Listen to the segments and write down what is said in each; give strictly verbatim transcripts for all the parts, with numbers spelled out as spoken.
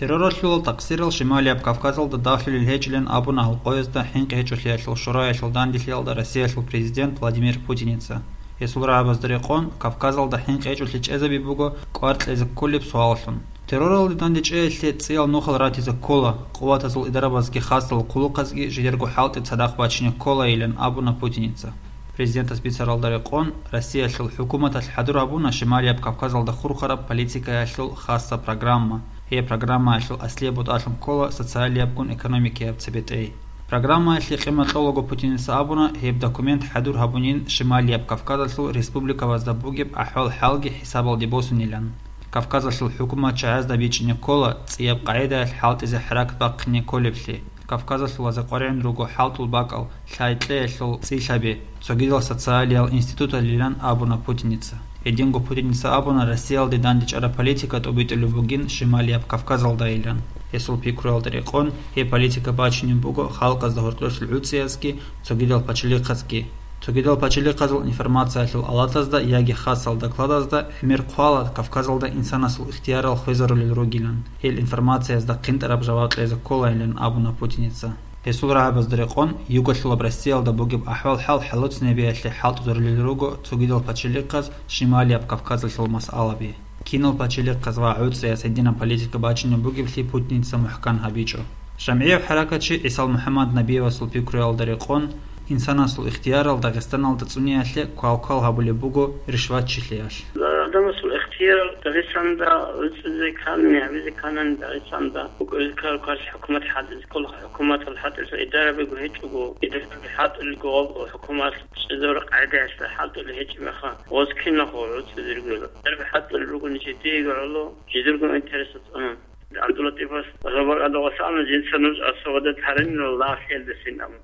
Терроралъул такъсирал Шималияб Кавказалда дагьлъулел гьечӀилан абуна гьал къоязда ХӀинкъи гьечӀолъиялъул шураялъул данделъиялда Россиялъул президент Владимир Путиница. Гьесул рагӀабазда рекъон, Кавказалда хӀинкъи гьечӀолъи чӀезаби буго кӀвар кьезе кколеб суаллъун. Терроралде дандечӀеялъе цӀиял нухал ратизе ккола, къуватазул идарабазги хасал хъулухъазги жидерго хӀалтӀи цадахъ бачине кколайилан абуна Путиница. Президентас бицаралда рекъон, Россиялъул хӀукуматалъ хӀадур гьабуна Шималияб Кавказалда хурхараб политикаялъул хасса программа. Гьеб программаялъул аслияб бутӀалъун ккола социалиябгун экономикияб цебетӀей. Программаялъе къимат кьолаго Путиница абуна, гьеб документ хӀадур гьабунин Шималияб Кавказалъул республикабазда бугеб ахӀвал-хӀалги хӀисабалде босунилан. Кавказалъул хӀукумат чагӀазда бичӀчӀине ккола цӀияб къагӀидаялъ хӀалтӀизе хӀаракат бахъине кколеблъи. Кавказалъул вазакъваригӀун руго хӀалтӀул бакӀал, лъай-кьеялъул цӀилъаби, цогидал социалиял институталилан абуна Путиница. Гьединго Путиница абуна, Россиялде дандечӀараб политика тӀубитӀулеб бугин Шималияб Кавказалдайилан. Гьесул пикруялда рекъон, гьеб политика бачинеб буго халкъазда гьоркьошлъи гӀуцӀиязги, цогидал пачалихъазги. Цогидал пачалихъазул информациялъул алатазда яги хасал докладазда гӀемер хъвала Кавказалда инсанасул ихтиярал хвезарулел ругилан, гьел информациязда хъинтӀараб жаваб кьезе кколайилан абуна Путиница. Гьесул рагӀабазда рекъон, югалъулаб Россиялда бугеб ахӀвал-хӀал хӀалуцинабиялъе хӀалтӀузарулел руго цогидал пачалихъаз Шималияб Кавказалъул масъалаби. Кинал пачалихъаз ва гӀуцӀияс гьединаб политика бачинеб бугеблъи Путиница мухӀкан гьабичӀо. ЖамгӀияб хӀаракатчи ГӀисал МухӀаммад Набиевасул пикруялда рекъон, инсанасул ихтиярал Дагъистаналда цӀуниялъе квал-квал гьабулеб буго ришватчилъиялъ. Адамасул ихтиярал Дагъистанда гӀуцӀизе ккани, гьабизе ккани Дагъистанда букӀизе ккарал квалъ хӀукумат хӀалтӀизе ккола, хӀукуматал хӀалтӀизе идарабиго гьечӀого, идараби хӀалтӀулелго хӀукумат чӀезабураб къагӀидаялъ хӀалтӀулел гьечӀеб мехалъ, гъоз киналго гӀуцӀизе ругела. Идараби хӀалтӀулел ругони жидеего гӀоло, жидерго интересалда цӀунун. ГӀабдуллатӀифас гьаб бакӀалда васана жинца нуж асавадат гьаринила лагълъиялдасин абун.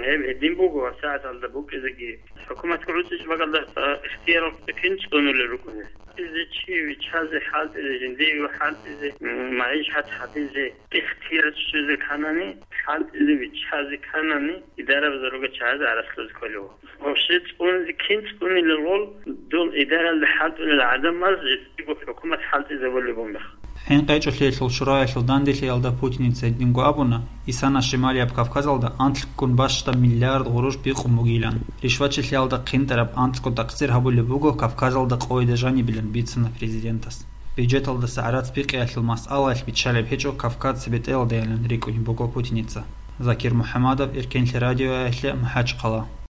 Гьеб гьедин буго, ва сагӀаталда букӀизеги. ХӀукуматго гӀуцӀичӀ бакӀалда, а, ихтияр кин цӀунулел рукӀуна. ХӀалтӀизе чи виччазе, хӀалтӀизе жиндиего хӀалтӀизе, м, магӀишат гьабизе, ихтияр щвезе кканани, хӀалтӀизе виччазе кканани, идарабазда ругел чагӀазе гӀарац лъузе кколев. Вообще цӀунзе кин цӀунилел гъол, дол идаралда хӀалтӀулел гӀадамаз жиндиего хӀукумат хӀалтӀизабулеб бугеб мехалъ. ХӀинкъи гьечӀолъиялъул шураялъул данделъиялда Путиница гьединго абуна, исана Шималияб Кавказалда анлъгун бащдаб миллиард гъурущ бикъун бугилан. Ришватчилъиялда хъинтӀараб анцӀго такъсир гьабулеб буго Кавказалда къойда жанибилан, бицана президентас. Бюджеталдаса гӀарац бикъиялъул масъалаялъ биччалеб гьечӀо Кавказ цебетӀеялдайилан рикӀкӀунеб буго Путиница. Закир МухӀаммадов, Эркенлъи радиоялъе, МахӀачхъала.